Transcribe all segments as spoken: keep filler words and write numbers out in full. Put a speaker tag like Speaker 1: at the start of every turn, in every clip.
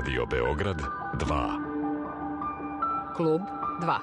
Speaker 1: Radio Beograd dva.
Speaker 2: Klub dva.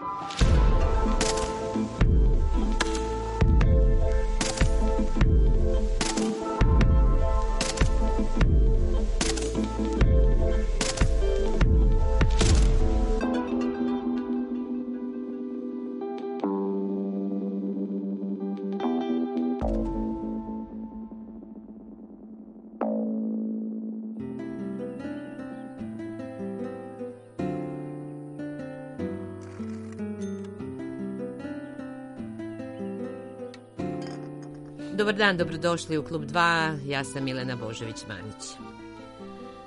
Speaker 2: Dobar dan, dobrodošli u Klub dva, ja sam Milena Božović-Manić.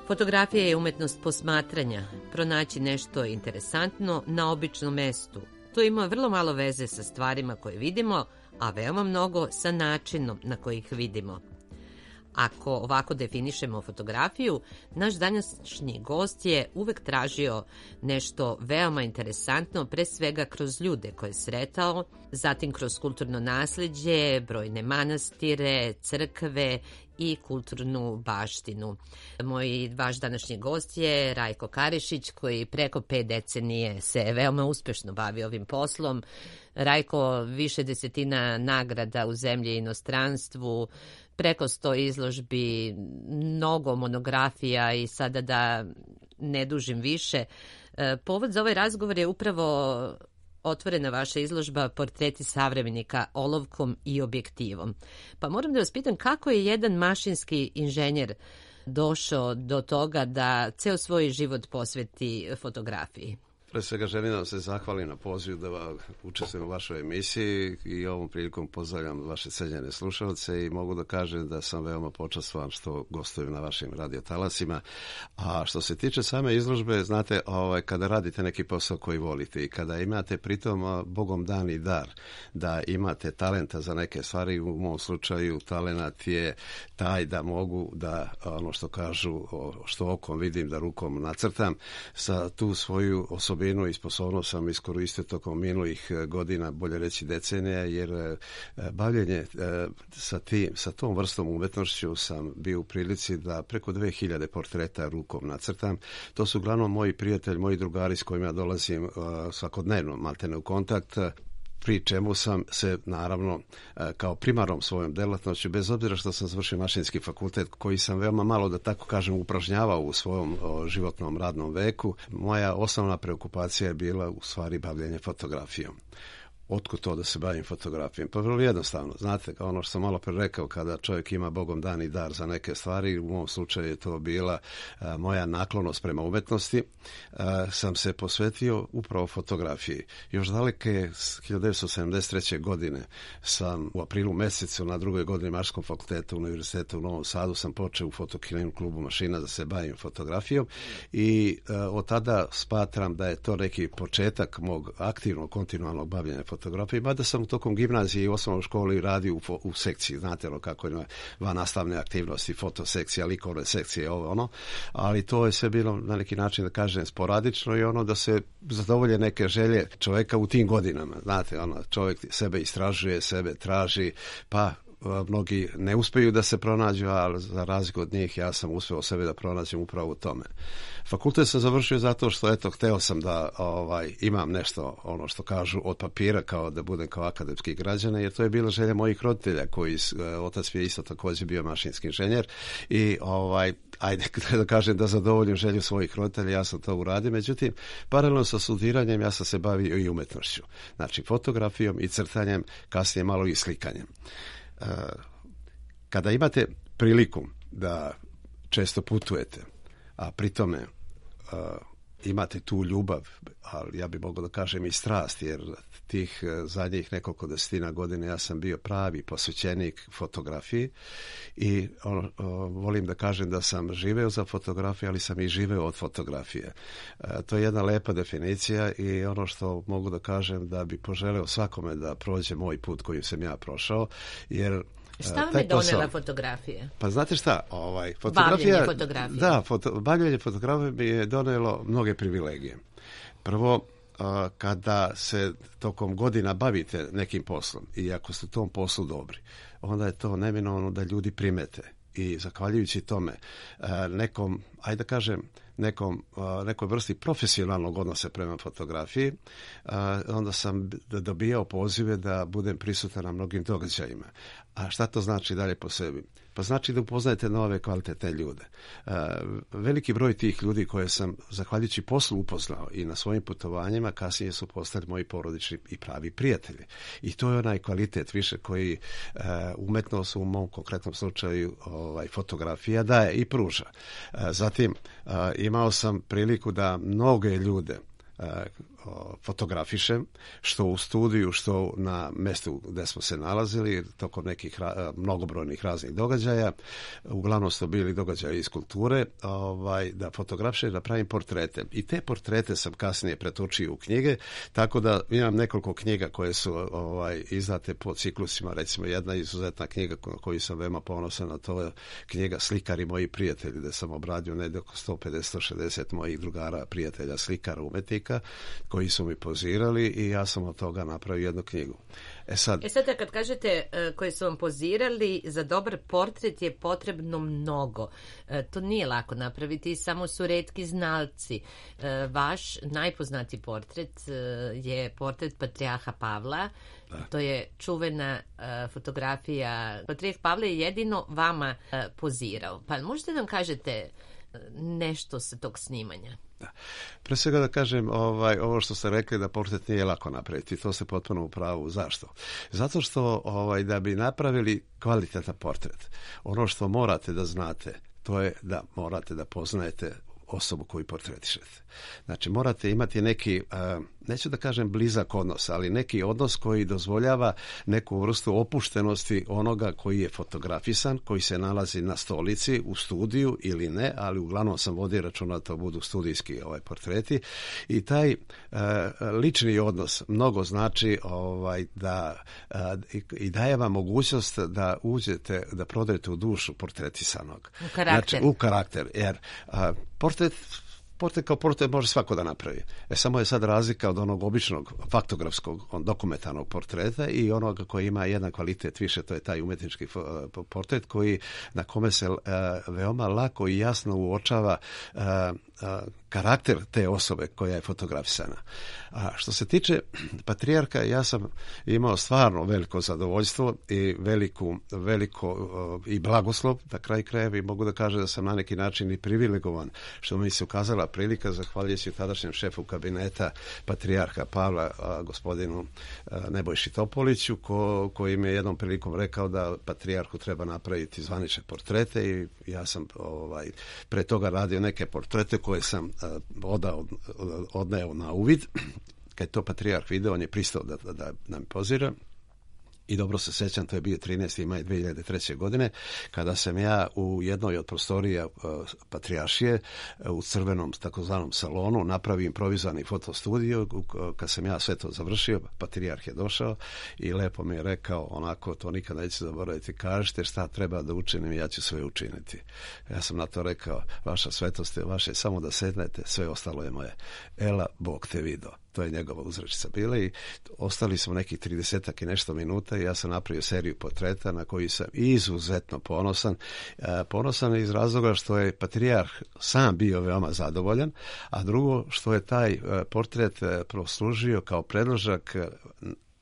Speaker 2: Fotografija je umetnost posmatranja, pronaći nešto interesantno na običnom mestu. To ima vrlo malo veze sa stvarima koje vidimo, a veoma mnogo sa načinom na koji ih vidimo. Ako ovako definišemo fotografiju, naš današnji gost je uvek tražio nešto veoma interesantno, pre svega kroz ljude koje je sretao, zatim kroz kulturno nasleđe, brojne manastire, crkve i kulturnu baštinu. Moj vaš današnji gost je Rajko Karišić, koji preko pet decenije se veoma uspešno bavi ovim poslom. Rajko, više desetina nagrada u zemlji i inostranstvu, preko sto izložbi, mnogo monografija i sada da ne dužim više. Povod za ovaj razgovor je upravo otvorena vaša izložba Portreti savremenika olovkom i objektivom. Pa moram da vas pitam kako je jedan mašinski inženjer došao do toga da ceo svoj život posveti fotografiji?
Speaker 3: Pre svega želim da vam se zahvalim na pozivu da učestvujem u vašoj emisiji i ovom prilikom pozdravljam vaše cenjene slušalce i mogu da kažem da sam veoma počastvovan što gostujem na vašim radiotalasima. A što se tiče same izložbe, znate, ovaj, kada radite neki posao koji volite i kada imate pritom Bogom dani dar, da imate talenta za neke stvari, u mom slučaju talenat je taj da mogu da, ono što kažu, što okom vidim da rukom nacrtam, sa tu svoju osobu i sposobnost sam iskoristio tokom minulih godina, bolje reći decenija, jer bavljenje sa, tim, sa tom vrstom umetnošću sam bio u prilici da preko dve hiljade portreta rukom nacrtam. To su uglavnom moji prijatelji, moji drugari s kojima dolazim svakodnevno maltene u kontakt, pri čemu sam se naravno kao primarnom svojom delatnošću, bez obzira što sam završio mašinski fakultet koji sam veoma malo, da tako kažem, upražnjavao u svojom životnom radnom veku, moja osnovna preokupacija je bila u stvari bavljenje fotografijom. Otkud to da se bavim fotografijom? Pa vrlo jednostavno. Znate, ono što sam malo pre rekao, kada čovjek ima Bogom dani dar za neke stvari, u mom slučaju je to bila a, moja naklonost prema umetnosti, a, sam se posvetio upravo fotografiji. Još daleke hiljadu devetsto sedamdeset treće. godine sam u aprilu mesecu na drugoj godini Mašinskog fakulteta Univerziteta u Novom Sadu sam počeo u Fotokinem klubu mašina da se bavim fotografijom i a, od tada smatram da je to neki početak mog aktivnog, kontinualnog bavljenja fotografije. fotografiji, mada sam tokom gimnazije i osnovnoj školi radio u, u sekciji, znate lo kako ima van nastavne aktivnosti, fotosekcija, likovne sekcije, ovo ono, ali to je sve bilo na neki način, da kažem, sporadično i ono da se zadovolje neke želje čovjeka u tim godinama, znate, ono, čovjek sebe istražuje, sebe traži, pa mnogi ne uspeju da se pronađu, ali za razliku od njih ja sam uspeo sebe da pronađem upravo u tome. Fakultet sam završio zato što, eto, hteo sam da ovaj, imam nešto, ono što kažu, od papira, kao da budem kao akademski građanin, jer to je bila želja mojih roditelja, koji, otac mi je isto također bio mašinski inženjer i ovaj, ajde da kažem da zadovoljim želju svojih roditelja, ja sam to uradio, međutim, paralelno sa studiranjem ja sam se bavio i umetnošću, znači fotografijom i crtanjem, kasnije malo i slikanjem. Kada imate priliku da često putujete, a pri tome uh, imate tu ljubav, ali ja bih mogao da kažem i strast, jer tih zadnjih nekoliko desetina godina ja sam bio pravi posvećenik fotografiji i ono, o, volim da kažem da sam živeo za fotografiju, ali sam i živeo od fotografije. E, to je jedna lepa definicija i ono što mogu da kažem da bi poželeo svakome da prođe moj put kojim sam ja prošao, jer
Speaker 2: šta vam je donela fotografije?
Speaker 3: Pa znate šta, ovaj, fotografija,
Speaker 2: bavljenje fotografije.
Speaker 3: Da, foto, bavljenje fotografije mi je donelo mnoge privilegije. Prvo, a, kada se tokom godina bavite nekim poslom i ako ste u tom poslu dobri, onda je to neminovno da ljudi primete. I zahvaljujući tome nekom ajde da kažem, nekom, nekoj vrsti profesionalnog odnosa prema fotografiji, onda sam dobijao pozive da budem prisutan na mnogim događajima. A šta to znači dalje po sebi? Pa znači da upoznajete nove kvalitetne ljude. Veliki broj tih ljudi koje sam, zahvaljujući poslu, upoznao i na svojim putovanjima, kasnije su postali moji porodični i pravi prijatelji. I to je onaj kvalitet više koji umetnost u mom konkretnom slučaju ovaj, fotografija daje i pruža. Zatim, imao sam priliku da mnoge ljude fotografišem, što u studiju, što na mjestu gdje smo se nalazili, tokom nekih ra- mnogobrojnih raznih događaja. Uglavnom su bili događaji iz kulture, ovaj, da fotografišem, da pravim portrete. I te portrete sam kasnije pretočio u knjige, tako da imam nekoliko knjiga koje su ovaj, izdate po ciklusima. Recimo, jedna izuzetna knjiga na koju sam veoma ponosan, a to je knjiga Slikari moji prijatelji, gdje sam obradio negdje oko sto pedeset do sto šezdeset mojih drugara, prijatelja, slikara, umetnika, koji su mi pozirali i ja sam od toga napravio jednu knjigu. E sad,
Speaker 2: e sad kad kažete uh, koji su vam pozirali, za dobar portret je potrebno mnogo. Uh, to nije lako napraviti, samo su retki znalci. Uh, vaš najpoznatiji portret uh, je portret Patrijarha Pavla. Da. To je čuvena uh, fotografija. Patrijarh Pavle je jedino vama uh, pozirao. Pa možete nam kažete nešto sa tog snimanja?
Speaker 3: Da. Pre svega da kažem, ovaj, ovo što ste rekli da portret nije lako napraviti, to ste potpuno u pravu. Zašto? Zato što ovaj, da bi napravili kvalitetan portret, ono što morate da znate, to je da morate da poznajete osobu koju portretišete. Znači, morate imati neki, uh, neću da kažem blizak odnos, ali neki odnos koji dozvoljava neku vrstu opuštenosti onoga koji je fotografisan, koji se nalazi na stolici, u studiju ili ne, ali uglavnom sam vodio računa da to budu studijski ovaj, portreti. I taj uh, lični odnos mnogo znači ovaj, da uh, i, i daje vam mogućnost da uđete, da prodajete u dušu portretisanog.
Speaker 2: U karakter.
Speaker 3: Znači, u karakter, jer uh, portret Portret kao portret može svako da napravi. E, samo je sad razlika od onog običnog faktografskog, dokumentarnog portreta i onoga koji ima jedan kvalitet više, to je taj umetnički portret koji, na kome se uh, veoma lako i jasno uočava uh, uh, karakter te osobe koja je fotografisana. A što se tiče Patrijarha, ja sam imao stvarno veliko zadovoljstvo i veliku, veliko uh, i blagoslov, na kraj krajeva, i mogu da kažem da sam na neki način i privilegovan, što mi se ukazala prilika, zahvaljujući tadašnjem šefu kabineta Patrijarha Pavla, a, gospodinu a, Nebojši Topoliću, ko, koji mi je jednom prilikom rekao da Patrijarhu treba napraviti zvanične portrete, i ja sam ovaj, pre toga radio neke portrete koje sam a, odao, odneo na uvid. Kad je to Patrijarh video, on je pristao da, da, da nam pozira. I dobro se sećam, to je bio trinaesti maj dve hiljade treće. godine, kada sam ja u jednoj od prostorija uh, Patrijaršije uh, u crvenom takozvanom salonu napravio improvizovani fotostudio. Uh, kad sam ja sve to završio, Patrijarh je došao i lepo mi je rekao, onako, to nikad neću zaboraviti, kažete šta treba da učinim i ja ću sve učiniti. Ja sam na to rekao, vaša svetost je vaše, samo da sednete, sve ostalo je moje. Ela, Bog te video. To je njegova uzrečica bila i ostali smo nekih tridesetak i nešto minuta i ja sam napravio seriju portreta na koji sam izuzetno ponosan. E, ponosan iz razloga što je Patrijarh sam bio veoma zadovoljan, a drugo što je taj e, portret e, proslužio kao predložak e,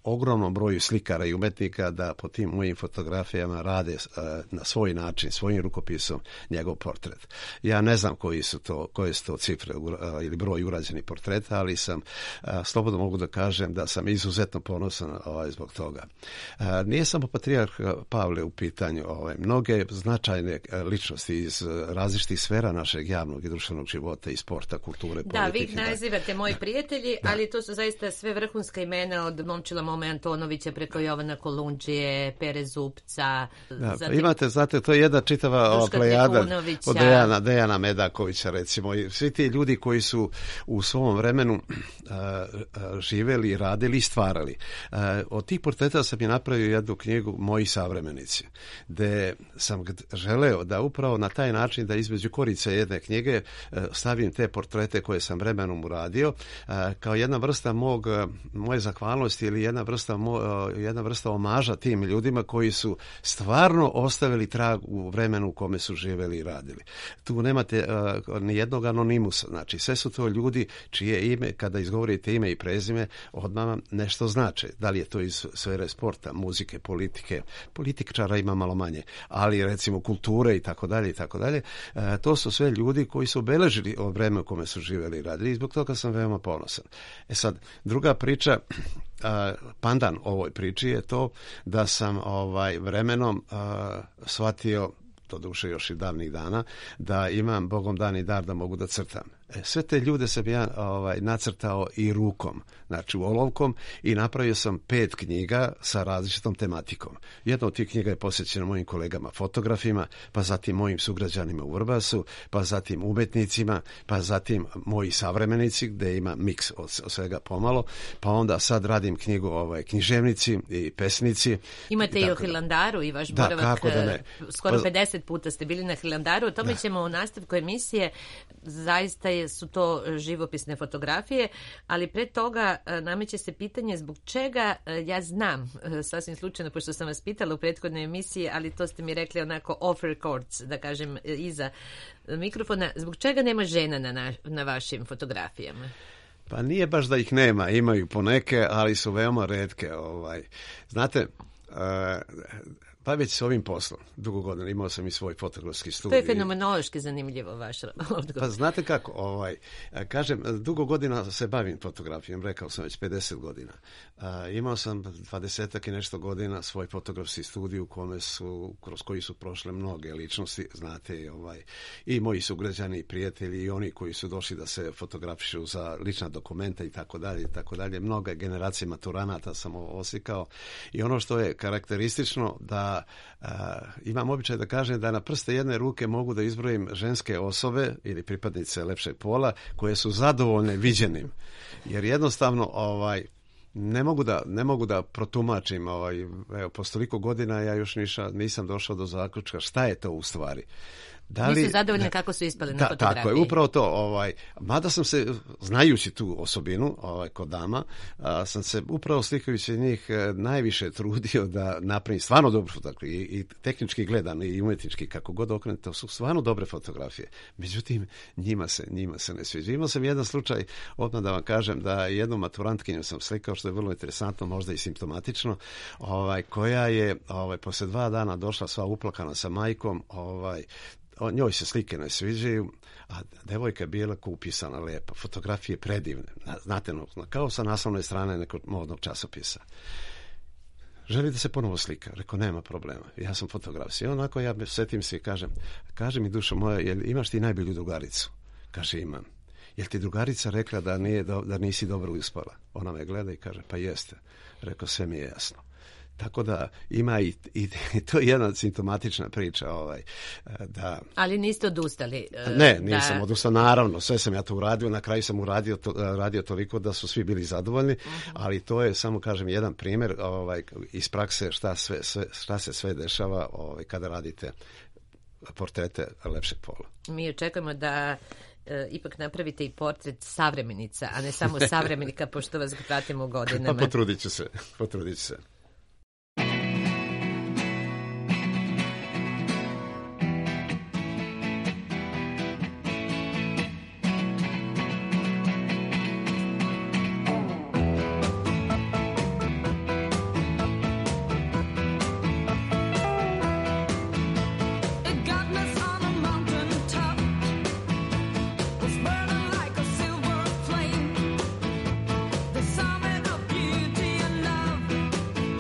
Speaker 3: ogromnom broju slikara i umetnika da po tim mojim fotografijama rade uh, na svoj način, svojim rukopisom njegov portret. Ja ne znam koji su to, koje su to cifre uh, ili broj urađenih portreta, ali sam uh, slobodno mogu da kažem da sam izuzetno ponosan ovaj, zbog toga. Uh, nije samo Patrijarh Pavle u pitanju, ovaj, mnoge značajne uh, ličnosti iz uh, različitih sfera našeg javnog i društvenog života i sporta, kulture,
Speaker 2: da,
Speaker 3: politike.
Speaker 2: Da, vi nazivate moji prijatelji, da. Ali to su zaista sve vrhunska imena od Momčila Mome Antonovića preko Jovana Kolundžije, Pere Zupca.
Speaker 3: Da,
Speaker 2: zatim,
Speaker 3: imate, znate, to je jedna čitava ova plejada od Dejana, Dejana Medakovića, recimo. I svi ti ljudi koji su u svom vremenu uh, uh, živeli, radili i stvarali. Uh, od tih portreta sam je napravio jednu knjigu Moji savremenici, gde sam želeo da upravo na taj način da između korice jedne knjige uh, stavim te portrete koje sam vremenom uradio, uh, kao jedna vrsta mog, moje zahvalnosti ili jedna jedna vrsta, jedna vrsta omaža tim ljudima koji su stvarno ostavili trag u vremenu u kome su živjeli i radili. Tu nemate uh, ni jednog anonimusa, znači sve su to ljudi čije ime, kada izgovorite ime i prezime, odmah vam nešto znače. Da li je to iz sfere sporta, muzike, politike, političara ima malo manje, ali recimo kulture i tako dalje i tako dalje. To su sve ljudi koji su obeležili od vremena u kome su živjeli i radili i zbog toga sam veoma ponosan. E sad, druga priča, pandan ovoj priči je to da sam ovaj vremenom shvatio, to duše još i davnih dana, da imam Bogom dani dar da mogu da crtam. E, sve te ljude sam ja ovaj, nacrtao i rukom, znači olovkom, i napravio sam pet knjiga sa različitom tematikom. Jedna od tih knjiga je posvećena mojim kolegama fotografima, pa zatim mojim sugrađanima u Vrbasu, pa zatim umetnicima, pa zatim moji savremenici, gde ima miks od, od svega pomalo, pa onda sad radim knjigu ovaj, književnici i pesnici.
Speaker 2: Imate i, i o Hilandaru i vaš da, boravak, da skoro pa, pedeset puta ste bili na Hilandaru, o tome da. ćemo u nastavku emisije, zaista je su to živopisne fotografije, ali pre toga nameće se pitanje zbog čega, ja znam, sasvim slučajno, pošto sam vas pitala u prethodnoj emisiji, ali to ste mi rekli onako off records, da kažem, iza mikrofona, zbog čega nema žena na, na, na vašim fotografijama?
Speaker 3: Pa nije baš da ih nema, imaju poneke, ali su veoma retke. Ovaj. Znate, uh, pa već s ovim poslom, dugo godina, imao sam i svoj fotografski studij.
Speaker 2: To je fenomenološki zanimljivo vaš odgovor.
Speaker 3: Pa znate kako, ovaj, kažem, dugo godina se bavim fotografijom, rekao sam već pedeset godina. A, imao sam dvadesetak i nešto godina svoj fotografski studij u kome su, kroz koji su prošle mnoge ličnosti, znate, ovaj, i moji sugrađani i prijatelji i oni koji su došli da se fotografišu za lična dokumenta i tako dalje i tako dalje. Mnoge generacije maturanata sam oslikao i ono što je karakteristično da Uh, imam običaj da kažem da na prste jedne ruke mogu da izbrojim ženske osobe ili pripadnice lepšeg pola koje su zadovoljne viđenim. Jer jednostavno ovaj ne mogu da ne mogu da protumačim, ovaj evo posle toliko godina ja još niša, nisam došao do zaključka šta je to u stvari.
Speaker 2: Da li, nisu zadovoljni da, kako su ispali na da, fotografiji.
Speaker 3: Tako je, upravo to. Ovaj, mada sam se, znajući tu osobinu ovaj, kod dama, a, sam se upravo slikajući njih najviše trudio da napravim stvarno dobru fotografiju. I, i tehnički gledan i umetnički, kako god okrenete, to su stvarno dobre fotografije. Međutim, njima se, njima se ne sviđa. Imao sam jedan slučaj, odmah da vam kažem, da jednu maturantkinju sam slikao, što je vrlo interesantno, možda i simptomatično, ovaj, koja je ovaj, posle dva dana došla sva uplakana sa majkom, ovaj, njoj se slike ne sviđaju, a devojka je bila upisana lepa, fotografije predivne, znate, kao sa naslovne strane nekog modnog časopisa. Želi da se ponovo slika. Rekao, nema problema, ja sam fotograf. I onako ja setim se i kažem, kaže mi dušo moja, jel imaš ti najbolju drugaricu? Kaže, imam. Jel ti drugarica rekla da, nije, da nisi dobro uspala? Ona me gleda i kaže, pa jeste. Rekao, sve mi je jasno. Tako da ima i, i, i to je jedna simptomatična priča. Ovaj, da,
Speaker 2: ali niste odustali?
Speaker 3: Ne, nisam da... odustao, naravno, sve sam ja to uradio, na kraju sam uradio to, radio toliko da su svi bili zadovoljni, uh-huh. ali to je samo, kažem, jedan primjer ovaj, iz prakse šta, sve, sve, šta se sve dešava ovaj, kada radite portrete lepšeg pola.
Speaker 2: Mi očekujemo da E, ipak napravite i portret savremenica, a ne samo savremenika, pošto vas pratimo godinama.
Speaker 3: Pa potrudit ću se, potrudit ću se.
Speaker 4: Summit of beauty and love.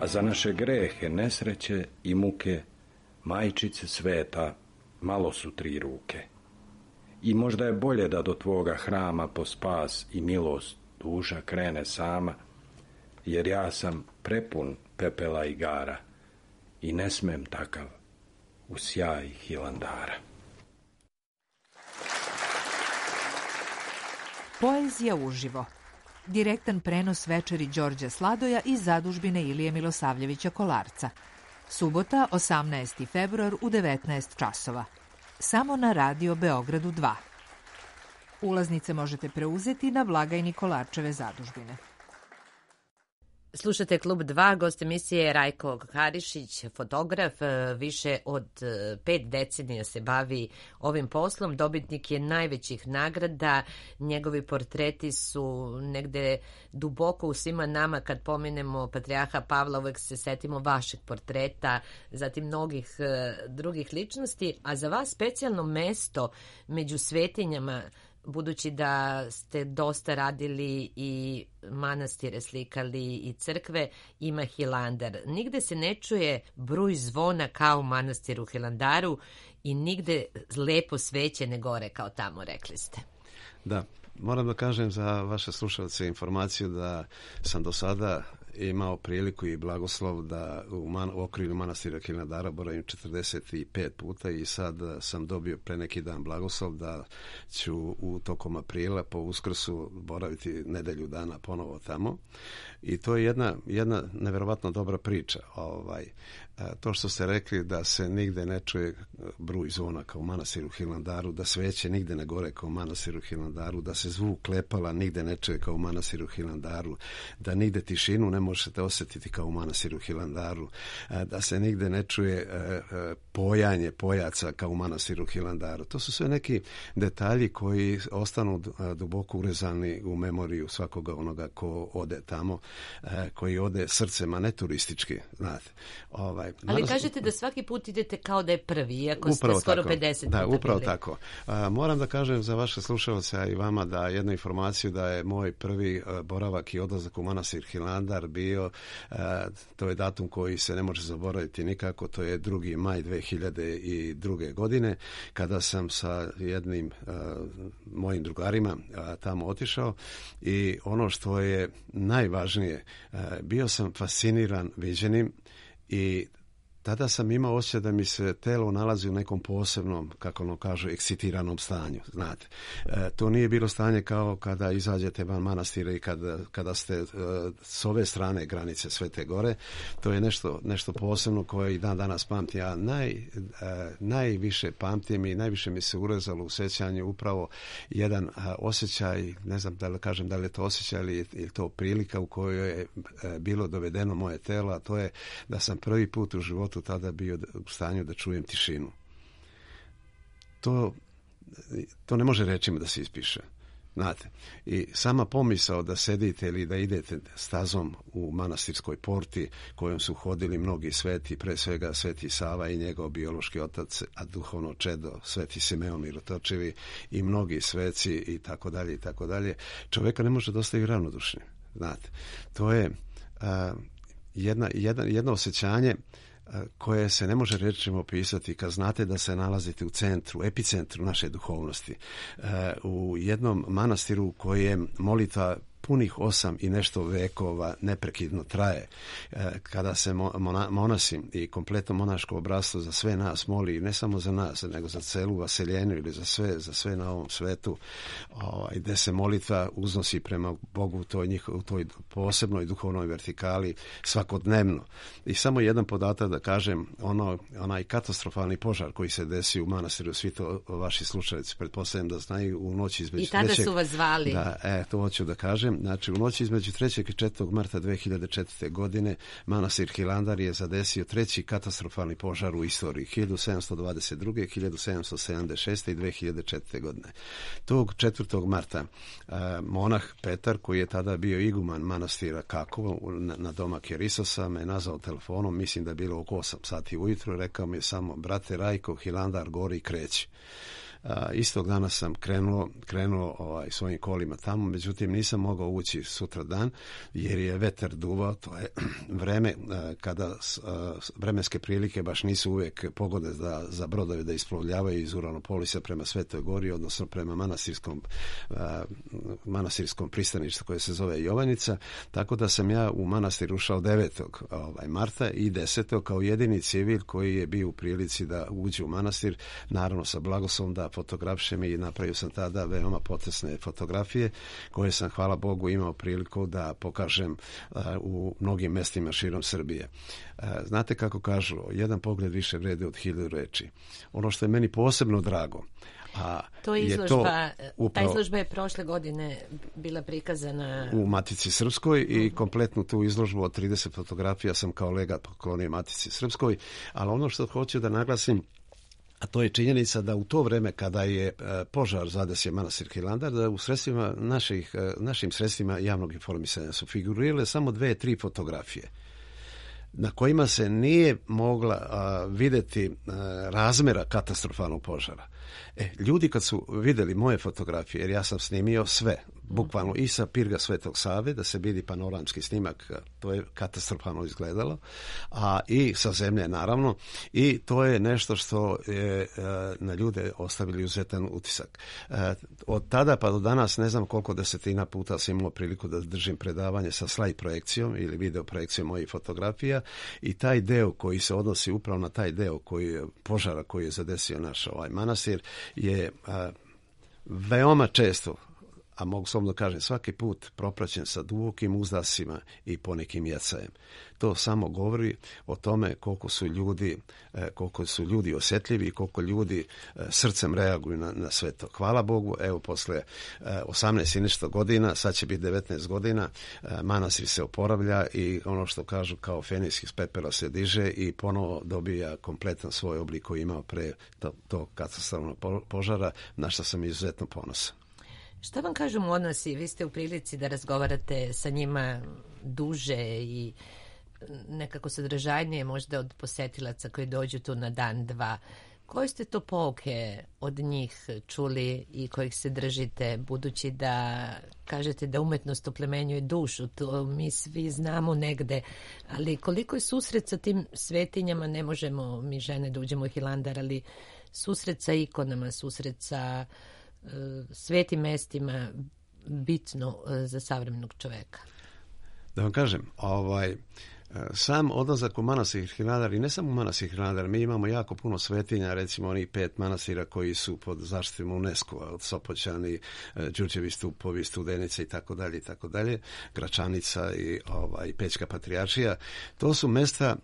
Speaker 4: A za naše grehe, nesreće i muke, majčice sveta, malo su tri ruke. I možda je bolje da do tvoga hrama po spas i milost duša krene sama, jer ja sam prepun pepela i gara i ne smem takav u sjaj Hilandara.
Speaker 5: Poezija uživo. Direktan prenos večeri Đorđa Sladoja iz zadužbine Ilije Milosavljevića Kolarca. Subota, osamnaesti februar u devetnaest časova. Samo na Radio Beogradu dva. Ulaznice možete preuzeti na blagajni Kolarčeve zadužbine.
Speaker 2: Slušate Klub dva, gost emisije je Rajko Harišić, fotograf, više od pet decenija se bavi ovim poslom, dobitnik je najvećih nagrada, njegovi portreti su negde duboko u svima nama. Kad pomenemo patrijarha Pavla, uvek se setimo vašeg portreta, zatim mnogih drugih ličnosti, a za vas specijalno mesto među svetinjama, budući da ste dosta radili i manastire slikali i crkve, ima Hilandar. Nigde se ne čuje bruj zvona kao u manastiru Hilandaru i nigde lepo sveće ne gore kao tamo, rekli ste.
Speaker 3: Da, moram da kažem za vaše slušalce informaciju da sam do sada imao priliku i blagoslov da u, man, u okrilju manastira Hilandara boravim četrdeset pet puta i sad sam dobio pre neki dan blagoslov da ću u tokom aprila po Uskrsu boraviti nedelju dana ponovo tamo. I to je jedna, jedna neverovatno dobra priča. Ovaj, to što ste rekli da se nigde ne čuje bruj zvona kao u manastiru Hilandaru, da sveće nigde ne gore kao u manastiru Hilandaru, da se zvuk klepala nigde ne čuje kao u manastiru Hilandaru, da nigde tišinu ne možete osjetiti kao u manastiru Hilandaru, da se nigde ne čuje pojanje pojaca kao u manastiru Hilandaru. To su sve neki detalji koji ostanu duboko urezani u memoriju svakoga onoga ko ode tamo, koji ode srcem, a ne turistički, znate. Ovaj,
Speaker 2: Ali naravno, kažete da svaki put idete kao da je prvi, iako ste skoro
Speaker 3: tako,
Speaker 2: pedeset
Speaker 3: da,
Speaker 2: puta
Speaker 3: upravo
Speaker 2: bili.
Speaker 3: tako. A, moram da kažem za vaše slušalce, a i vama, da jednu informaciju da je moj prvi a, boravak i odlazak u manastir Hilandar bio, a, to je datum koji se ne može zaboraviti nikako, to je drugi maj dve hiljade druge. godine, kada sam sa jednim a, mojim drugarima a, tamo otišao i ono što je najvažnije, a, bio sam fasciniran viđenim i tada sam imao osjećaj da mi se telo nalazi u nekom posebnom, kako ono kažu, ekscitiranom stanju, znate. E, to nije bilo stanje kao kada izađete van manastira i kada, kada ste e, s ove strane granice Svete Gore. To je nešto, nešto posebno koje i dan danas pamtim. Ja naj, e, najviše pamtim i najviše mi se urezalo u sjećanju upravo jedan a, osjećaj, ne znam da li kažem da li je to osjećaj ili je to prilika u kojoj je e, bilo dovedeno moje telo, a to je da sam prvi put u životu životu tada bio u stanju da čujem tišinu. To, to ne može rečima da se ispiše. Znate, i sama pomisao da sedite ili da idete stazom u manastirskoj porti kojom su hodili mnogi sveti, pre svega Sveti Sava i njegov biološki otac, a duhovno čedo Sveti Simeon Mirotočevi i mnogi sveci i tako dalje i tako dalje, čoveka ne može da ostavi ravnodušnim. Znate, to je a, jedna, jedna, jedno osjećanje koje se ne može rečima opisati kad znate da se nalazite u centru, epicentru naše duhovnosti, u jednom manastiru u kojem molitva punih osam i nešto vekova neprekidno traje. Kada se monasi i kompletno monaško obrasstvo za sve nas moli, ne samo za nas, nego za celu vaseljenu ili za sve, za sve na ovom svetu, gde se molitva uznosi prema Bogu u toj, njih, u toj posebnoj duhovnoj vertikali svakodnevno. I samo jedan podatak da kažem, ono, onaj katastrofalni požar koji se desio u manastiru, svi to vaši slušalici pretpostavljam da znaju, u noći između...
Speaker 2: I tada
Speaker 3: trećeg,
Speaker 2: su vas zvali.
Speaker 3: Da, e, to hoću da kažem. Znači, u noći između trećeg i četvrtog marta dve hiljade četvrte. godine manastir Hilandar je zadesio treći katastrofalni požar u istoriji, hiljadu sedamsto dvadeset druge. hiljadu sedamsto sedamdeset šeste. i dve hiljade četvrte. godine. Tog četvrtog marta a, monah Petar, koji je tada bio iguman manastira Kakovo na, na domak Jerisosa, me nazvao telefonom, mislim da je bilo oko osam sati ujutro, rekao mi je samo, brate Rajko, Hilandar gori i kreći. Uh, istog dana sam krenuo, krenuo ovaj, svojim kolima tamo, međutim nisam mogao ući sutra dan jer je vetar duvao, to je vreme uh, kada uh, vremenske prilike baš nisu uvijek pogode za, za brodove da isplovljavaju iz Uranopolisa prema Svetoj Gori, odnosno prema manastirskom, uh, manastirskom pristaništu koje se zove Jovanjica, tako da sam ja u manastir ušao devetog Ovaj, marta i desetog kao jedini civil koji je bio u prilici da uđe u manastir, naravno sa blagoslovom da fotografišem i napravio sam tada veoma potresne fotografije koje sam, hvala Bogu, imao priliku da pokažem uh, u mnogim mestima širom Srbije. Uh, znate kako kažu, jedan pogled više vredi od hiljadu reči. Ono što je meni posebno drago, a
Speaker 2: to je izložba,
Speaker 3: je to upravo,
Speaker 2: ta izložba je prošle godine bila prikazana
Speaker 3: u Matici Srpskoj i kompletnu tu izložbu od trideset fotografija sam kao legat poklonio Matici Srpskoj, ali ono što hoću da naglasim, a to je činjenica da u to vreme kada je požar zadesio manastir Hilandar, da u sredstvima naših, našim sredstvima javnog informisanja su figurirale samo dve, tri fotografije na kojima se nije mogla a, vidjeti a, razmera katastrofalnog požara. E, ljudi kad su vidjeli moje fotografije, jer ja sam snimio sve, bukvalno i sa pirga Svetog Save, da se vidi panoramski snimak, to je katastrofalno izgledalo, a i sa zemlje naravno, i to je nešto što je na ljude ostavili izuzetan utisak. Od tada pa do danas ne znam koliko desetina puta sam imao priliku da držim predavanje sa slajd projekcijom ili video projekcijom mojih fotografija i taj deo koji se odnosi upravo na taj deo koji je požara koji je zadesio naš ovaj manastir je a, veoma često, a mogu slobodno kažem svaki put, propraćen sa dubokim uzdasima i ponekim jecajem. To samo govori o tome koliko su ljudi, koliko su ljudi osjetljivi i koliko ljudi srcem reaguju na, na sve to. Hvala Bogu, evo posle osamnaest i nešto godina, sad će biti devetnaest godina, manastir se oporavlja i ono što kažu kao feniks iz pepela se diže i ponovo dobija kompletan svoj oblik koji je imao pre tog to katastrofalnog požara, na što sam izuzetno ponosan.
Speaker 2: Šta vam kažu monasi? Vi ste u prilici da razgovarate sa njima duže i nekako sadržajnije možda od posetilaca koji dođu tu na dan, dva. Koje ste to pouke od njih čuli i kojih se držite, budući da kažete da umetnost oplemenjuje dušu, to mi svi znamo negde, ali koliko je susret sa tim svetinjama, ne možemo mi žene da uđemo u Hilandar, ali susret sa ikonama, susret sa svetim mestima bitno za savremenog čoveka?
Speaker 3: Da vam kažem, ovaj, sam odlazak u manastir Hilandar i ne samo u manastir Hilandar, mi imamo jako puno svetinja, recimo onih pet manastira koji su pod zaštitom UNESCO-a, od Sopoćani, Đurđevi stupovi, Studenice i tako dalje i tako dalje, Gračanica i ovaj Pećka patrijaršija. To su mesta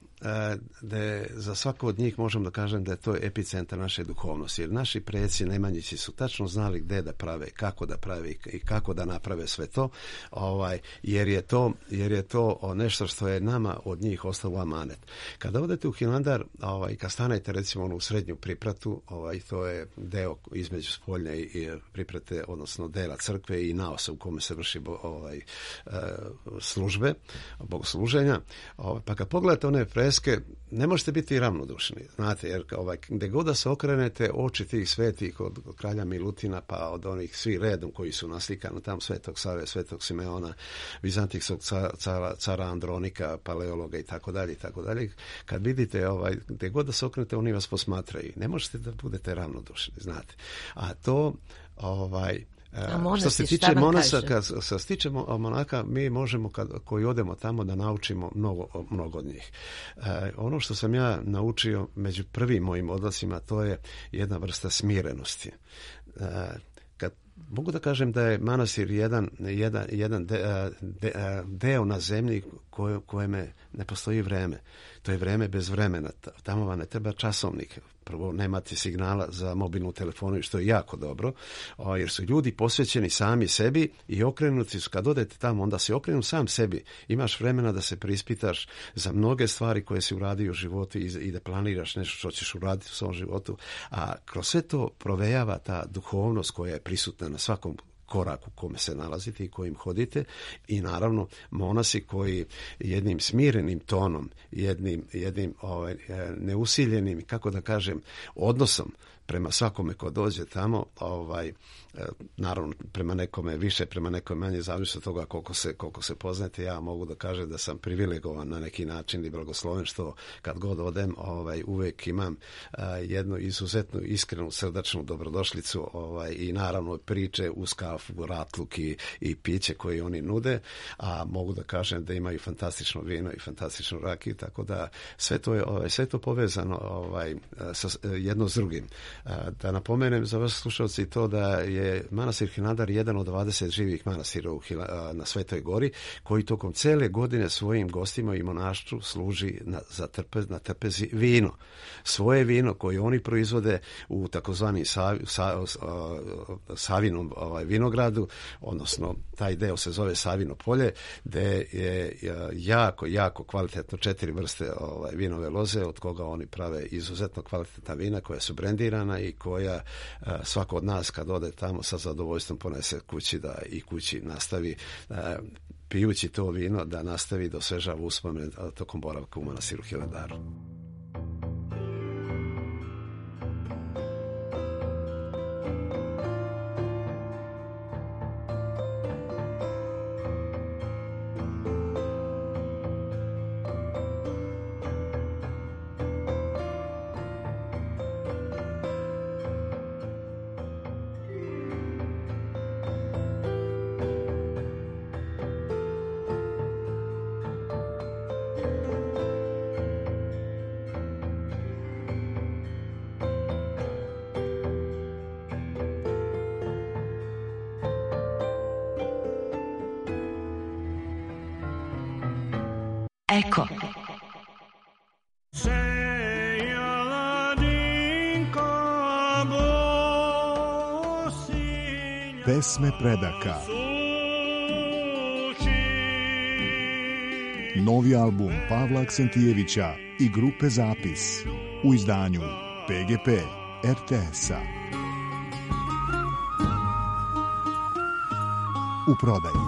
Speaker 3: da za svako od njih možemo da kažem da je to epicentar naše duhovnosti, jer naši preci Nemanjići su tačno znali gde da prave, kako da prave i kako da naprave sve to, ovaj, jer je to, jer je to nešto što je nama od njih ostalo amanet. Kada odete u Hilandar, ovaj, kad stanete recimo u srednju pripratu, ovaj, to je deo između spoljne i priprate, odnosno dela crkve i naosa u kome se vrši ovaj, službe, bogosluženja, ovaj, pa kad pogledate one freske, ne možete biti ravnodušni, znate, jer ovaj, gde god da se okrenete, oči tih svetih od, od kralja Milutina, pa od onih svi redom koji su naslikani tam, Svetog Save, Svetog Simeona, Vizantijskog cara, cara Andronika, paleologa i tako dalje i tako dalje. Kad vidite, ovaj, gde god da se okrenete, oni vas posmatraju. Ne možete da budete ravnodušni, znate. A to, ovaj,
Speaker 2: monasi,
Speaker 3: što se tiče monasa, kad se tiče monaka, mi možemo kad, koji odemo tamo da naučimo mnogo, mnogo od njih. E, ono što sam ja naučio među prvim mojim odlascima, to je jedna vrsta smirenosti. E, kad mogu da kažem da je manastir jedan, jedan, jedan de, de, deo na zemlji koje, kojeme ne postoji vreme. To je vreme bez vremena. Tamo vam ne treba časovnik. Prvo, nemate signala za mobilnu telefonu, što je jako dobro, jer su ljudi posvećeni sami sebi i okrenuti su. Kad odete tamo, onda se okrenu sam sebi. Imaš vremena da se preispitaš za mnoge stvari koje si uradio u životu i da planiraš nešto što ćeš uraditi u svom životu. A kroz sve to provejava ta duhovnost koja je prisutna na svakom korak u kome se nalazite i kojim hodite, i naravno monasi koji jednim smirenim tonom, jednim, jednim ovaj, neusiljenim, kako da kažem, odnosom prema svakome ko dođe tamo, ovaj, naravno prema nekome više, prema nekome manje, zavisno od toga koliko se, koliko se poznate. Ja mogu da kažem da sam privilegovan na neki način i blagosloven što kad god odem, ovaj, uvek imam uh, jednu izuzetnu, iskrenu, srdačnu dobrodošlicu, ovaj, i naravno priče uz kafu, ratluk i, i piće koje oni nude, a mogu da kažem da imaju fantastično vino i fantastičnu rakiju, tako da sve to je ovaj, sve to povezano ovaj, sa, jedno s drugim. Da napomenem za vas slušalci to da je manastir Hilandar jedan od dvadeset živih manastira u Hila, na Svetoj Gori, koji tokom cele godine svojim gostima i monaštvu služi na, za trpez, na trpezi vino. Svoje vino koje oni proizvode u takozvani sav, sa, Savinom ovaj, vinogradu, odnosno taj deo se zove Savino polje, gde je jako, jako kvalitetno četiri vrste ovaj, vinove loze, od koga oni prave izuzetno kvalitetna vina koja su brendirana i koja a, svako od nas kad ode tamo sa zadovoljstvom ponese kući da i kući nastavi a, pijući to vino da nastavi da osvežava uspomene tokom boravka u manastiru Hilandaru.
Speaker 6: Eko.
Speaker 7: Pesme predaka. Novi album Pavla Aksentijevića i grupe Zapis u izdanju P G P R T S-a. U prodaji.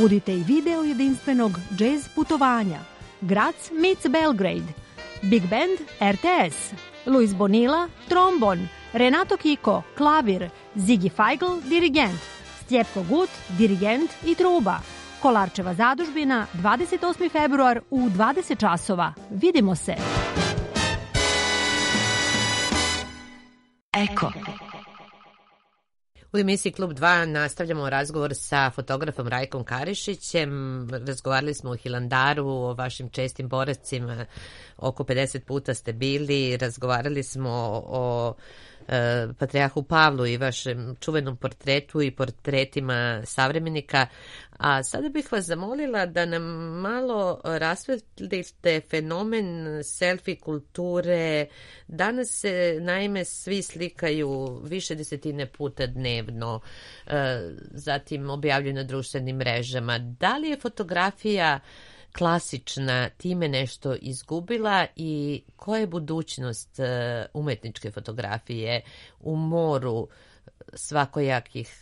Speaker 8: Budite i video jedinstvenog jazz putovanja. Graz meets Belgrade. Big Band R T S. Luis Bonilla, trombon. Renato Kiko, klavir. Ziggy Feigl, dirigent. Stjepko Gut, dirigent i truba. Kolarčeva zadužbina, dvadeset osmi februar u dvadeset časova. Vidimo se.
Speaker 6: Eko.
Speaker 2: U emisiji Klub dva nastavljamo razgovor sa fotografom Rajkom Karišićem. Razgovarali smo o Hilandaru, o vašim čestim boravcima. Oko pedeset puta ste bili. Razgovarali smo o e, Patrijarhu Pavlu i vašem čuvenom portretu i portretima savremenika. A sada bih vas zamolila da nam malo rasvetlite fenomen selfie kulture. Danas se naime svi slikaju više desetine puta dnevno, zatim objavljuju na društvenim mrežama. Da li je fotografija klasična time nešto izgubila i koja je budućnost umetničke fotografije u moru svakojakih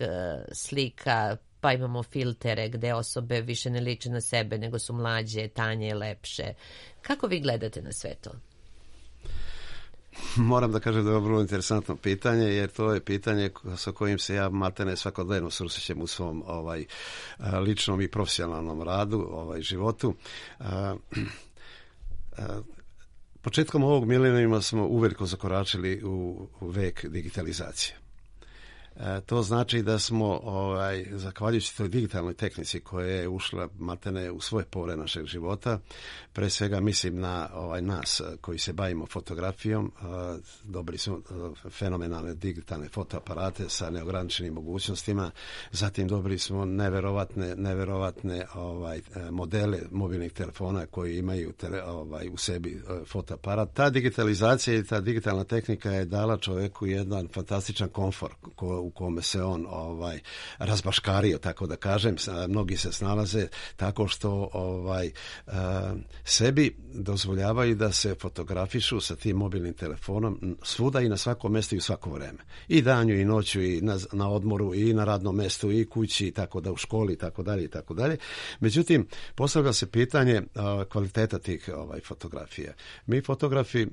Speaker 2: slika? Pa imamo filtere gde osobe više ne liče na sebe, nego su mlađe, tanje, lepše. Kako vi gledate na sve to?
Speaker 3: Moram da kažem da je vrlo interesantno pitanje, jer to je pitanje sa kojim se ja maltene svakodnevno susrećem u svom ovaj, ličnom i profesionalnom radu, ovaj, životu. Početkom ovog milenijuma smo uveliko zakoračili u, u vek digitalizacije. E, to znači da smo, ovaj, zahvaljujući toj digitalnoj tehnici koja je ušla maltene u svoje pore našeg života, pre svega mislim na ovaj, nas koji se bavimo fotografijom, e, dobili smo e, fenomenalne digitalne fotoaparate sa neograničenim mogućnostima, zatim dobili smo neverovatne, neverovatne ovaj, modele mobilnih telefona koji imaju tele, ovaj, u sebi e, fotoaparat. Ta digitalizacija i ta digitalna tehnika je dala čovjeku jedan fantastičan komfor ko, u kome se on ovaj razbaškario, tako da kažem. Mnogi se snalaze tako što ovaj sebi dozvoljavaju da se fotografišu sa tim mobilnim telefonom svuda i na svakom mjestu i u svako vreme. I danju i noću i na, na odmoru i na radnom mjestu i kući, tako da u školi i tako dalje i tako dalje. Međutim, postavlja se pitanje a, kvaliteta tih ovaj fotografija. Mi fotografi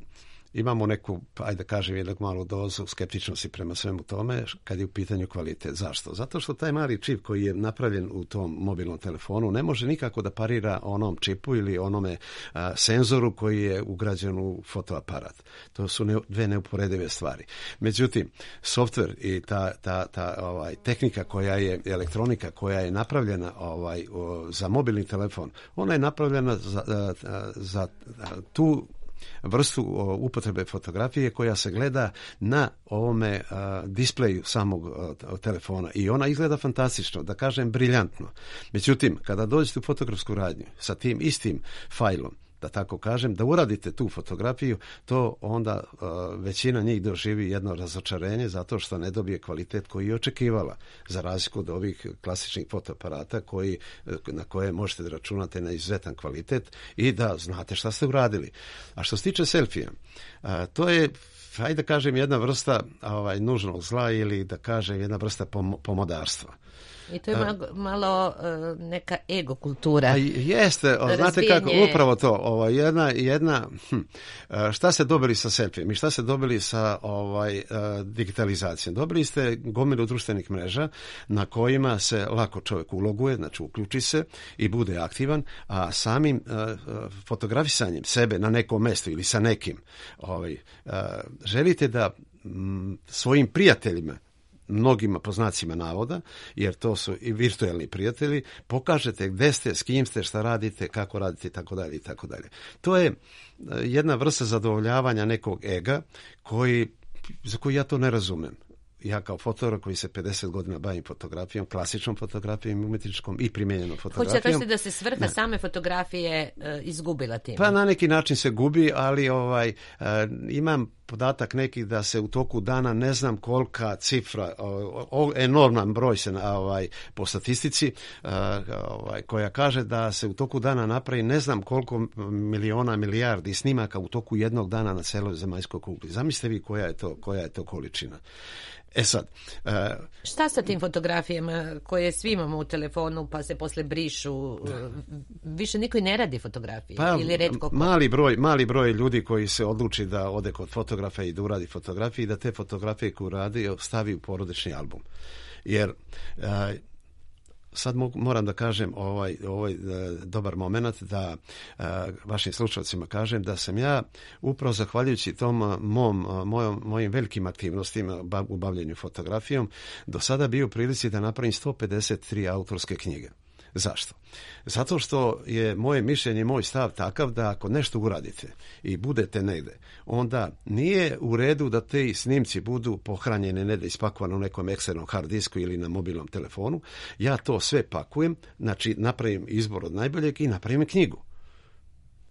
Speaker 3: imamo neku, ajde da kažem, jednog malu dozu skeptičnosti prema svemu tome kad je u pitanju kvalitet. Zašto? Zato što taj mali čip koji je napravljen u tom mobilnom telefonu ne može nikako da parira onom čipu ili onome a, senzoru koji je ugrađen u fotoaparat. To su ne, dve neuporedive stvari. Međutim, softver i ta, ta, ta ovaj, tehnika koja je, elektronika koja je napravljena ovaj, o, za mobilni telefon, ona je napravljena za, za, za tu vrstu upotrebe fotografije koja se gleda na ovome a, displeju samog a, telefona i ona izgleda fantastično, da kažem briljantno. Međutim, kada dođete u fotografsku radnju sa tim istim fajlom, da tako kažem, da uradite tu fotografiju, to onda uh, većina njih doživi jedno razočarenje zato što ne dobije kvalitet koji je očekivala, za razliku od ovih klasičnih fotoaparata koji, na koje možete da računate na izuzetan kvalitet i da znate šta ste uradili. A što se tiče selfija, uh, to je, hajde da kažem, jedna vrsta ovaj, nužnog zla ili da kažem jedna vrsta pom- pomodarstva.
Speaker 2: I to je malo, malo uh, neka ego kultura.
Speaker 3: A jeste, o, znate kako, upravo to, ovo, jedna, jedna hm, šta ste dobili sa selfijem i šta ste dobili sa ovaj, uh, digitalizacijom? Dobili ste gomilu društvenih mreža na kojima se lako čovjek uloguje, znači uključi se i bude aktivan, a samim uh, fotografisanjem sebe na nekom mjestu ili sa nekim ovaj, uh, želite da m, svojim prijateljima, mnogima po znacima navoda, jer to su i virtualni prijatelji, pokažete gde ste, s kim ste, šta radite, kako radite i tako dalje i tako dalje. To je jedna vrsta zadovoljavanja nekog ega koji, za koji ja to ne razumem. Ja kao fotograf koji se pedeset godina bavim fotografijom, klasičnom fotografijom, umjetničkom i primijenjenom fotografijom.
Speaker 2: Hoćete kažete da se svrha ne. same fotografije uh, izgubila tim?
Speaker 3: Pa na neki način se gubi, ali ovaj uh, imam podatak neki da se u toku dana ne znam kolika cifra, o, o, enorman broj se ovaj, po statistici uh, ovaj, koja kaže da se u toku dana napravi ne znam koliko miliona, milijardi snimaka u toku jednog dana na celoj zemaljskoj kugli. Zamislite vi koja je to, koja je to količina. E sad, uh,
Speaker 2: šta sa tim fotografijama koje svi imamo u telefonu pa se posle brišu? Više niko i ne radi fotografije
Speaker 3: pa,
Speaker 2: ili retko ko?
Speaker 3: Mali broj, mali broj ljudi koji se odluči da ode kod fotografa i da uradi fotografije i da te fotografije koje uradi stavi u porodični album. Jer uh, sad moram da kažem ovaj, ovaj dobar moment da uh, vašim slušalcima kažem da sam ja upravo zahvaljujući tom mom, mojom, mojim velikim aktivnostima u bavljenju fotografijom do sada bio u prilici da napravim sto pedeset tri autorske knjige. Zašto? Zato što je moje mišljenje, moj stav takav da ako nešto uradite i budete negde, onda nije u redu da te snimci budu pohranjene, ne da ispakovane u nekom eksternom hard disku ili na mobilnom telefonu. Ja to sve pakujem, znači napravim izbor od najboljeg i napravim knjigu.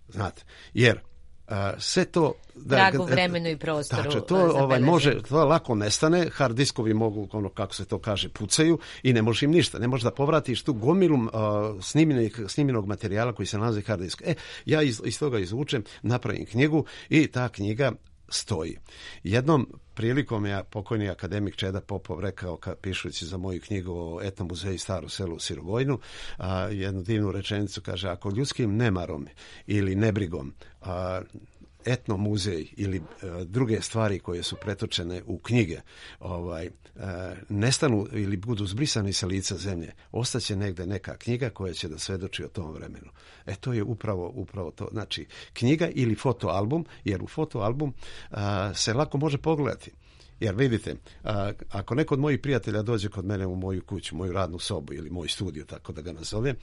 Speaker 3: Znate, jer Uh, sve to
Speaker 2: da tragu vremenu i prostoru.
Speaker 3: Tačno, to ovaj može, to lako nestane, hard diskovi mogu, ono kako se to kaže, pucaju i ne možeš im ništa, ne možeš da povratiš tu gomilu uh, snimljenog, snimljenog materijala koji se nalazi hard disk. E, ja iz, iz toga izvučem, napravim knjigu i ta knjiga stoji. Jednom prilikom je pokojni akademik Čeda Popov rekao, kad pišući za moju knjigu o etnom muzeju Staro selo u Sirogojnu, a, jednu divnu rečenicu, kaže, ako ljudskim nemarom ili nebrigom a, etno muzej ili a, druge stvari koje su pretočene u knjige ovaj, a, nestanu ili budu zbrisani sa lica zemlje, ostaće negde neka knjiga koja će da svedoči o tom vremenu. E to je upravo, upravo to. Znači, knjiga ili fotoalbum, jer u fotoalbum a, se lako može pogledati. Jer vidite, a, ako neko od mojih prijatelja dođe kod mene u moju kuću, moju radnu sobu ili moj studio, tako da ga nazovem,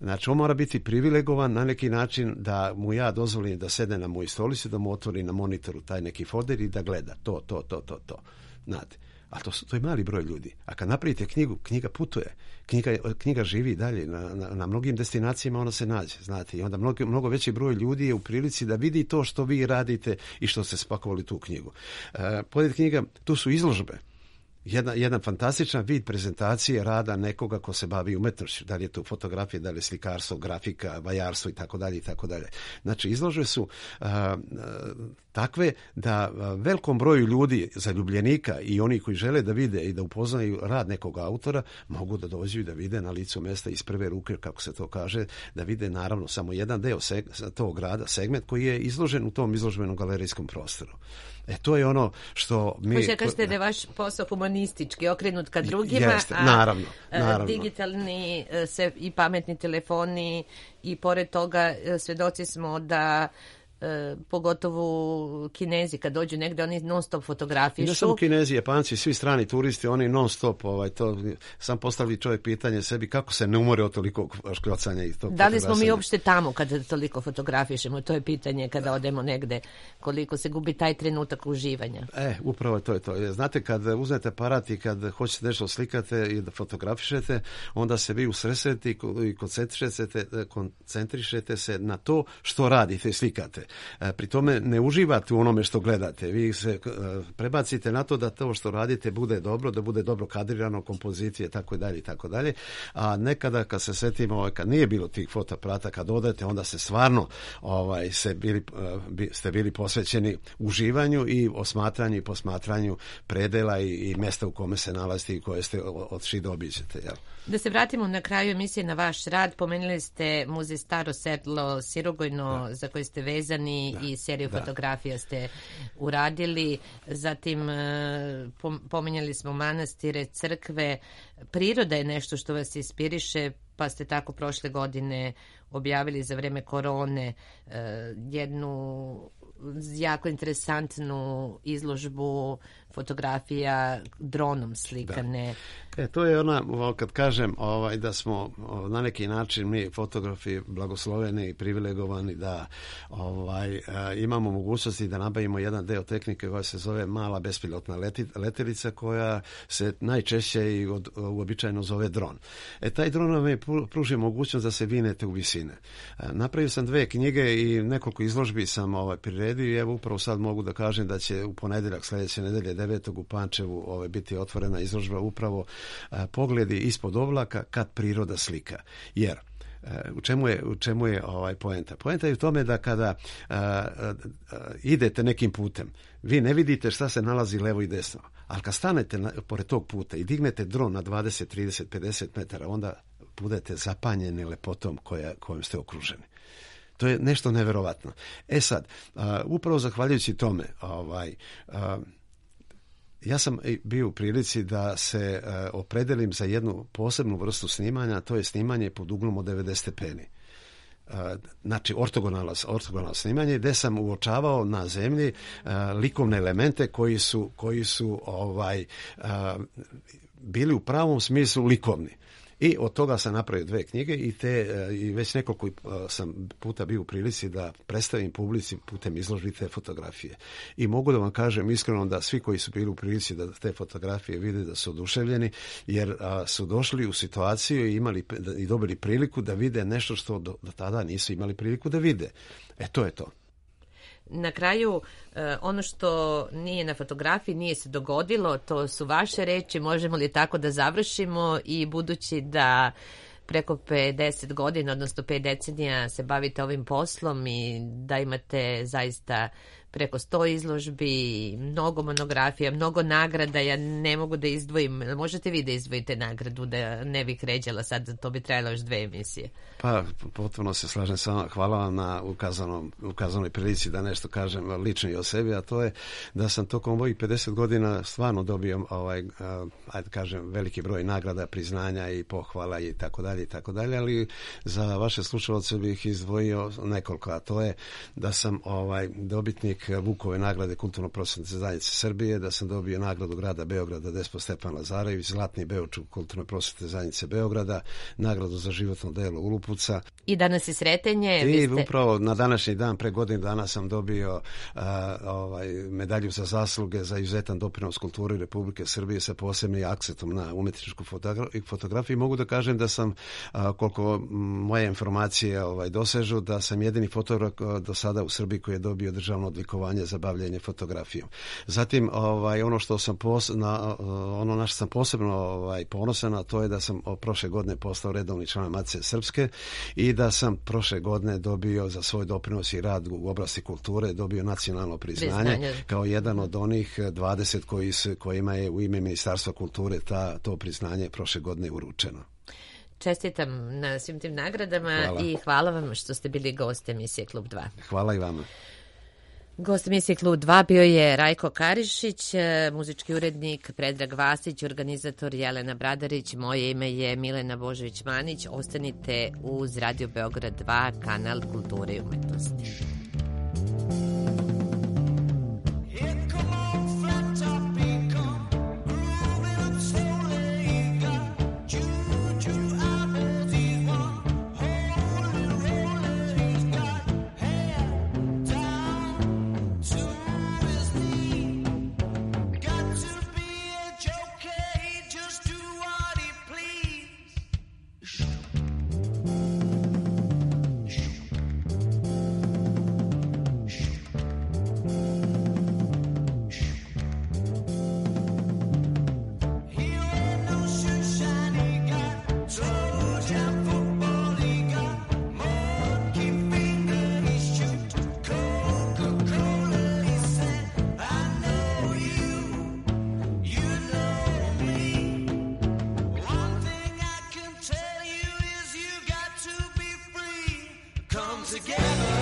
Speaker 3: znači on mora biti privilegovan na neki način da mu ja dozvolim da sede na moj stolici, da mu otvori na monitoru taj neki folder i da gleda to, to, to, to, to. Znate, a to, to je mali broj ljudi. A kad napravite knjigu, knjiga putuje. Knjiga, knjiga živi dalje. Na, na, na mnogim destinacijama ona se nađe. Znate, i onda mnogo, mnogo veći broj ljudi je u prilici da vidi to što vi radite i što ste spakovali tu knjigu. E, pored knjiga, tu su izložbe. Jedna, jedan fantastičan vid prezentacije rada nekoga ko se bavi umetnošću. Da li je to fotografija, da li je slikarstvo, grafika, vajarstvo i tako dalje i tako dalje. Znači, izložbe su a, a, takve da a, velikom broju ljudi, zaljubljenika i oni koji žele da vide i da upoznaju rad nekog autora, mogu da dođu i da vide na licu mesta iz prve ruke, kako se to kaže, da vide naravno samo jedan deo seg, tog rada, segment koji je izložen u tom izložbenom galerijskom prostoru. E, to je ono što mi...
Speaker 2: Možete kažete da je vaš posao humanistički, okrenut ka drugima,
Speaker 3: Jeste, naravno, naravno.
Speaker 2: A digitalni se, i pametni telefoni i pored toga svedoci smo da e, pogotovo Kinezi kad dođu negde, oni non stop fotografišu.
Speaker 3: Ne samo Kinezi, Japanci, svi strani turisti, oni non stop, ovaj, to, sam postavili čovjek pitanje sebi kako se ne umore od toliko škljocanja i tog.
Speaker 2: Da li smo mi uopšte tamo kada toliko fotografišemo? To je pitanje kada odemo negde, koliko se gubi taj trenutak uživanja.
Speaker 3: E, upravo to je to. Znate, kad uzmete aparat i kad hoćete nešto slikate i da fotografišete, onda se vi usresredite i koncentrišete, koncentrišete se na to što radite i slikate. Pri tome ne uživate u onome što gledate. Vi se prebacite na to da to što radite bude dobro, da bude dobro kadrirano, kompozicije, tako i dalje i tako dalje. A nekada kad se setimo, kad nije bilo tih fotoaparata, kad odete, onda se stvarno ovaj, se bili, ste bili posvećeni uživanju i osmatranju i posmatranju predela i, i mesta u kome se nalazite i koje ste odšli da obiđete. Jel?
Speaker 2: Da se vratimo na kraju emisije na vaš rad, pomenuli ste muzej Staro selo Sirogojno, da. za koji ste vezani da. i seriju da. fotografija ste uradili, zatim pomenjali smo manastire, crkve, priroda je nešto što vas inspiriše, pa ste tako prošle godine objavili za vreme korone jednu jako interesantnu izložbu fotografija dronom slikane.
Speaker 3: Da. E, to je ona, kad kažem ovaj, da smo na neki način mi fotografi blagosloveni i privilegovani da ovaj, imamo mogućnosti da nabavimo jedan deo tehnike koja se zove mala bespilotna leti, letelica koja se najčešće i od, uobičajeno zove dron. E, taj dron nam je pružio mogućnost da se vinete u visine. Napravio sam dve knjige i nekoliko izložbi sam ovaj, priredio i evo upravo sad mogu da kažem da će u ponedeljak sljedeće nedelje devetog u Pančevu ovaj, biti otvorena izložba upravo a, pogledi ispod oblaka kad priroda slika. Jer u čemu je, u čemu je ovaj poenta? Poenta je u tome da kada a, a, a, idete nekim putem, vi ne vidite šta se nalazi levo i desno, ali kad stanete na, pored tog puta i dignete dron na dvadeset, trideset, pedeset metara, onda budete zapanjeni lepotom koja, kojom ste okruženi. To je nešto neverovatno. E sad, a, upravo zahvaljujući tome, ovaj, a, ja sam bio u prilici da se uh, opredelim za jednu posebnu vrstu snimanja, to je snimanje pod uglom od devedeset stepeni. Uh, znači ortogonalno, ortogonalno snimanje gdje sam uočavao na zemlji uh, likovne elemente koji su, koji su ovaj, uh, bili u pravom smislu likovni. I od toga sam napravio dve knjige i, te, i već nekoliko sam puta bio u prilici da predstavim publici putem izložbi te fotografije. I mogu da vam kažem iskreno da svi koji su bili u prilici da te fotografije vide da su oduševljeni, jer a, su došli u situaciju i imali i dobili priliku da vide nešto što do, do tada nisu imali priliku da vide. E, to je to.
Speaker 2: Na kraju, ono što nije na fotografiji, nije se dogodilo, to su vaše reči, možemo li tako da završimo i budući da preko pedeset godina, odnosno pet decenija se bavite ovim poslom i da imate zaista preko sto izložbi, mnogo monografija, mnogo nagrada, ja ne mogu da izdvojim, možete vi da izdvojite nagradu, da ne bih ređala sad, to bi trajalo još dve emisije.
Speaker 3: Pa, potpuno se slažem sa vama, hvala vam na ukazanom, ukazanoj prilici da nešto kažem lično i o sebi, a to je da sam tokom ovih pedeset godina stvarno dobio ovaj, ajde kažem, veliki broj nagrada, priznanja i pohvala i tako dalje i tako dalje, ali za vaše slušalce bih izdvojio nekoliko, a to je da sam ovaj dobitnik Vukove nagrade Kulturno-prosvetne zajednice Srbije, da sam dobio nagradu grada Beograda Despot Stepan Lazarević, Zlatni Beočuk Kulturno-prosvetne zajednice Beograda, nagradu za životno delo Ulupuca.
Speaker 2: I danas je sretenje.
Speaker 3: I
Speaker 2: ste...
Speaker 3: upravo na današnji dan, pre godinu dana sam dobio a, ovaj, medalju za zasluge za izuzetan doprinos kulturi Republike Srbije sa posebnim akcentom na umetničku fotogra- fotografiju. Mogu da kažem da sam, a, koliko moje informacije ovaj, dosežu, da sam jedini fotograf do sada u Srbiji koji je dobio državno odlikovanje za bavljenje fotografijom. Zatim, ovaj, ono što sam pos, na, ono na što sam posebno ovaj, ponosan, a to je da sam prošle godine postao redovni član Matice Srpske i da sam prošle godine dobio za svoj doprinos i rad u oblasti kulture, dobio nacionalno priznanje, priznanje. kao jedan od onih dvadeset koji su, kojima je u ime Ministarstva kulture ta, to priznanje prošle godine uručeno.
Speaker 2: Čestitam na svim tim nagradama hvala. I hvala vam što ste bili gost emisije Klub dva.
Speaker 3: Hvala i vama.
Speaker 2: Gost emisije Klub dva bio je Rajko Karišić, muzički urednik Predrag Vasić, organizator Jelena Bradarić, moje ime je Milena Božović-Manić. Ostanite uz Radio Beograd dva, kanal kulture i umetnosti. Together